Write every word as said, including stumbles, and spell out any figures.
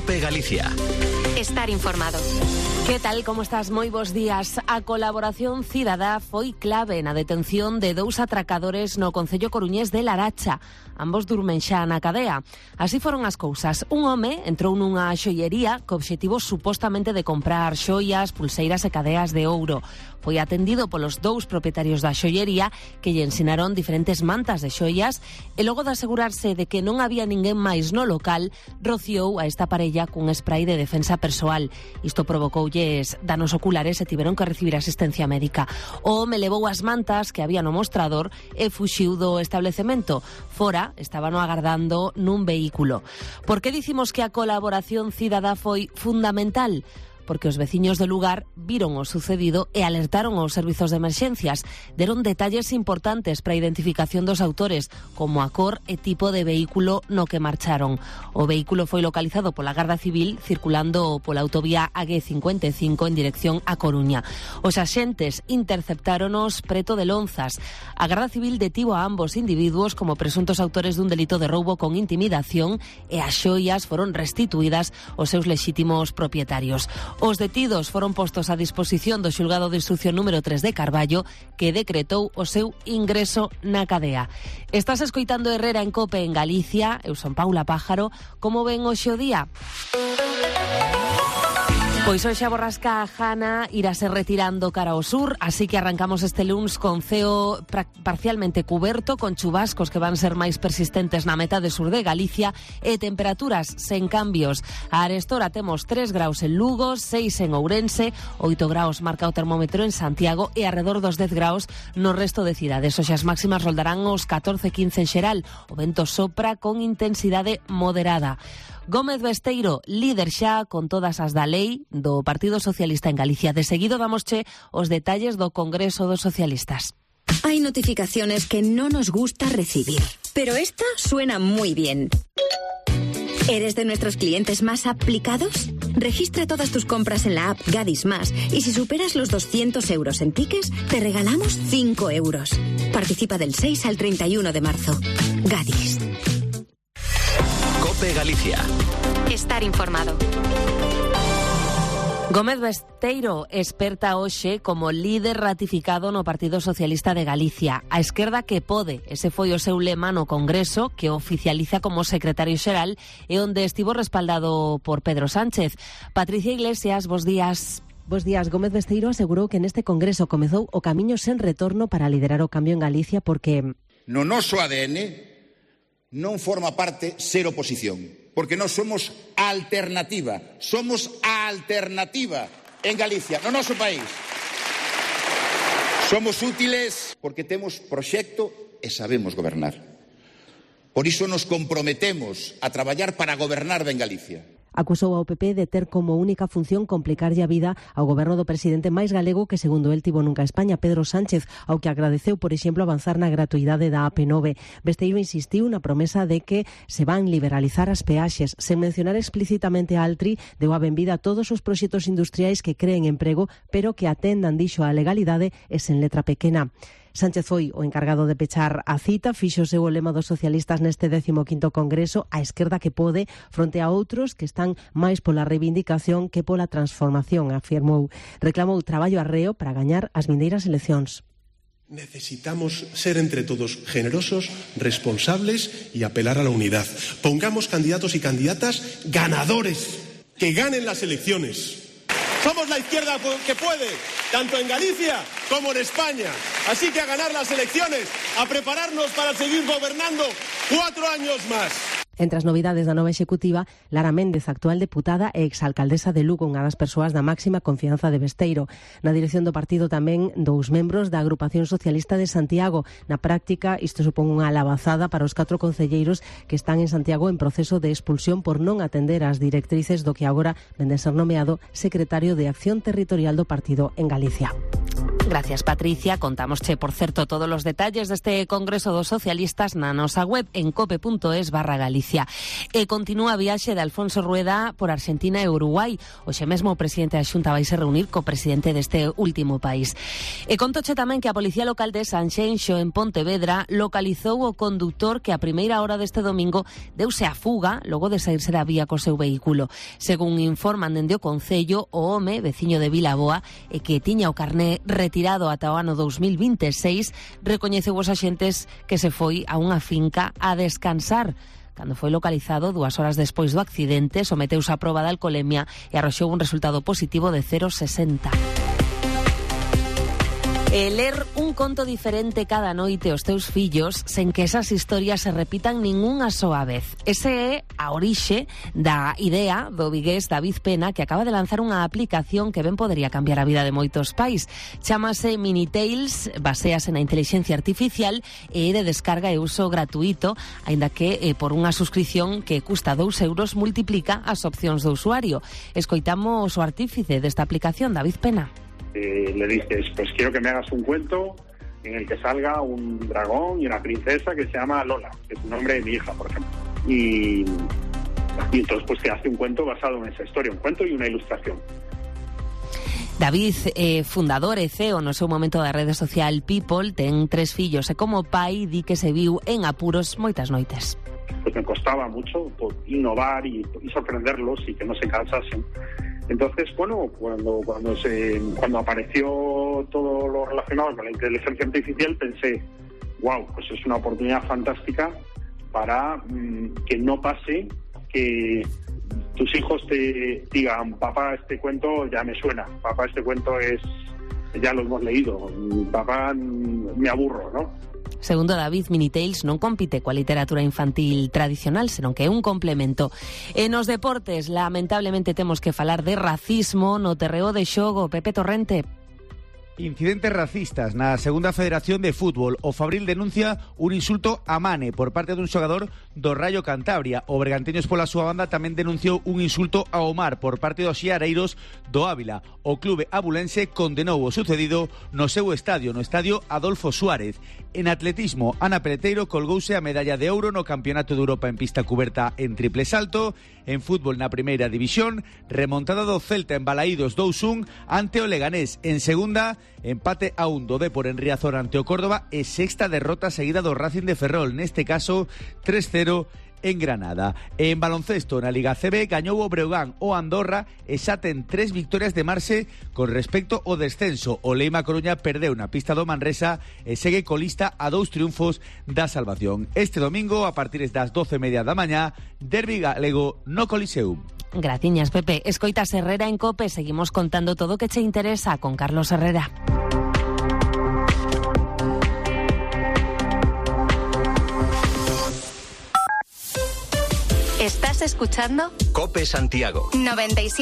COPE Galicia. Estar informado. Que tal, como estás? Moi bons días. A colaboración cidadá foi clave na detención de dous atracadores no concello coruñés de Laracha. Ambos durmen xa na cadea. Así foron as cousas. Un home entrou nunha xoiería co obxectivo supostamente de comprar xoias, pulseiras e cadeas de ouro. Foi atendido polos dous propietarios da xoiería que lle ensinaron diferentes mantas de xoias e logo de asegurarse de que non había ninguén máis no local, rociou a esta parella cun spray de defensa persoal. Isto provocoulle danos oculares e tiveron que recibir asistencia médica. O home levou as mantas que había no mostrador e fuxiu do establecemento. Fora, estaban agardando nun vehículo. Por que dicimos que a colaboración cidadá foi fundamental? Porque os veciños do lugar viron o sucedido e alertaron aos servizos de emerxencias. Deron detalles importantes para a identificación dos autores, como a cor e tipo de vehículo no que marcharon. O vehículo foi localizado pola Garda Civil circulando pola autovía A G cincuenta e cinco en dirección a Coruña. Os axentes interceptáronos preto de Lonzas. A Garda Civil detivo a ambos individuos como presuntos autores dun delito de roubo con intimidación e as xoias foron restituídas aos seus lexítimos propietarios. Os detidos foron postos a disposición do xulgado de instrucción número tres de Carballo, que decretou o seu ingreso na cadea. Estás escoitando Herrera en COPE en Galicia. Eu son Paula Pájaro. Como ven hoxe o día? Pois hoxe a borrasca Jana irase retirando cara ao sur, así que arrancamos este luns con ceo parcialmente cuberto, con chubascos que van ser máis persistentes na metade sur de Galicia e temperaturas sen cambios. A arestora temos tres graus en Lugo, seis en Ourense, oito graus marca o termómetro en Santiago e arredor dos dez graus no resto de cidades. Hoxe as máximas roldarán os catorce quince en xeral. O vento sopra con intensidade moderada. Gómez Besteiro, líder xa con todas as da lei do Partido Socialista en Galicia. De seguido damosche os detalles do Congreso dos Socialistas. Hay notificaciones que no nos gusta recibir, pero esta suena muy bien. ¿Eres de nuestros clientes más aplicados? Registra todas tus compras en la app Gadis Más y si superas los doscientos euros en tickets, te regalamos cinco euros. Participa del seis al treinta y uno de marzo. Gadis. COPE Galicia. Estar informado. Gómez Besteiro experta hoxe como líder ratificado no Partido Socialista de Galicia. A esquerda que pode, ese foi o seu lema no Congreso, que oficializa como secretario xeral e onde estivo respaldado por Pedro Sánchez. Patricia Iglesias, bos días. Bos días. Gómez Besteiro asegurou que neste Congreso comezou o camiño sen retorno para liderar o cambio en Galicia porque no noso A D N non forma parte ser oposición, porque nós somos alternativa, somos a alternativa en Galicia, no noso país. Somos útiles porque temos proxecto e sabemos gobernar. Por iso nos comprometemos a traballar para gobernar ben Galicia. Acusou ao P P de ter como única función complicarlle a vida ao goberno do presidente máis galego que, segundo el, tivo nunca a España, Pedro Sánchez, ao que agradeceu, por exemplo, avanzar na gratuidade da A P nove. Besteiro insistiu na promesa de que se van liberalizar as peaxes. Sen mencionar explícitamente a Altri, deu a benvida a todos os proxectos industriais que creen emprego, pero que atendan, dixo, a legalidade e sen letra pequena. Sánchez foi o encargado de pechar a cita, fixo o seu lema dos socialistas neste décimo quinto Congreso, a esquerda que pode, fronte a outros que están máis pola reivindicación que pola transformación, afirmou. Reclamou traballo arreo para gañar as vindeiras eleccións. Necesitamos ser entre todos generosos, responsables y apelar a la unidad. Pongamos candidatos y candidatas ganadores, que ganen las elecciones. Somos la izquierda que puede, tanto en Galicia como en España. Así que a ganar las elecciones, a prepararnos para seguir gobernando cuatro años más. Entre as novidades da nova executiva, Lara Méndez, actual deputada e exalcaldesa de Lugo, unha das persoas da máxima confianza de Besteiro. Na dirección do partido tamén dous membros da Agrupación Socialista de Santiago. Na práctica, isto supón unha alabazada para os catro concelleiros que están en Santiago en proceso de expulsión por non atender as directrices do que agora vende ser nomeado secretario de Acción Territorial do partido en Galicia. Gracias, Patricia. Contámosche, por certo, todos os detalles deste Congreso dos Socialistas na nosa web en cope.es barra Galicia. E continúa a viaxe de Alfonso Rueda por Argentina e Uruguai. Hoxe mesmo o presidente da Xunta vai se reunir co presidente deste último país. E contoche tamén que a Policía Local de Sanxenxo, en Pontevedra, localizou o condutor que a primeira hora deste domingo deuse a fuga logo de saírse da vía co seu vehículo. Según informan dende o Concello, o home, veciño de Vilaboa, e que tiña o carné retirado tirado ata o ano dos mil veintiséis, recoñeceu os axentes que se foi a unha finca a descansar. Cando foi localizado dúas horas despois do accidente, someteuse a proba de alcolemia e arroxou un resultado positivo de cero coma sesenta. E ler un conto diferente cada noite aos teus fillos sen que esas historias se repitan ningunha soa vez. Ese é a orixe da idea do vigués David Pena, que acaba de lanzar unha aplicación que ben podería cambiar a vida de moitos pais. Chámase Minitales, basease na inteligencia artificial e de descarga e uso gratuito, aínda que eh, por unha suscripción que custa dous euros multiplica as opcións do usuario. Escoitamos o artífice desta aplicación, David Pena. Eh, le dices, pues quiero que me hagas un cuento en el que salga un dragón y una princesa que se llama Lola, que es el nombre de mi hija, por ejemplo. Y, y entonces pues te hace un cuento basado en esa historia, un cuento y una ilustración. David, eh, fundador e C E O no seu momento da rede social People, ten tres fillos e como pai di que se viu en apuros moitas noites. Pues me costaba mucho por innovar y, y sorprenderlos y que no se cansasen. Entonces, bueno, cuando cuando se cuando apareció todo lo relacionado con la inteligencia artificial, pensé, wow, pues es una oportunidad fantástica para mmm, que no pase que tus hijos te digan, papá, este cuento ya me suena, papá, este cuento es ya lo hemos leído, papá, me aburro, ¿no? Segundo David, Minitales non compite coa literatura infantil tradicional, senón que é un complemento. E nos deportes, lamentablemente temos que falar de racismo no terreo de xogo. Pepe Torrente. Incidentes racistas na segunda Federación de Fútbol. O Fabril denuncia un insulto a Mane por parte dun xogador do Rayo Cantabria. O Bergantiños pola súa banda tamén denunciou un insulto a Omar por parte dos xiareiros do Ávila. O clube abulense condenou o sucedido no seu estadio, no estadio Adolfo Suárez. En atletismo, Ana Peleteiro colgouse a medalla de ouro no Campeonato de Europa en pista cuberta en triple salto. En fútbol na primeira división, remontada do Celta en Balaídos dous un ante o Leganés. En segunda, empate a un do Dépor en Riazor ante o Córdoba e sexta derrota seguida do Racing de Ferrol, neste caso tres cero en Granada. En baloncesto, na Liga C B, gañou o Breogán o Andorra e xa ten tres victorias de marxe con respecto ao descenso. O Leima Coruña perdeu na pista do Manresa e segue colista a dous triunfos da salvación. Este domingo, a partir das doce e media da mañá, derbi galego no Coliseum. Graciñas, Pepe. Escoitas Herrera en Cope. Seguimos contando todo o que che interesa con Carlos Herrera. ¿Estás escuchando? Cope Santiago noventa y siete.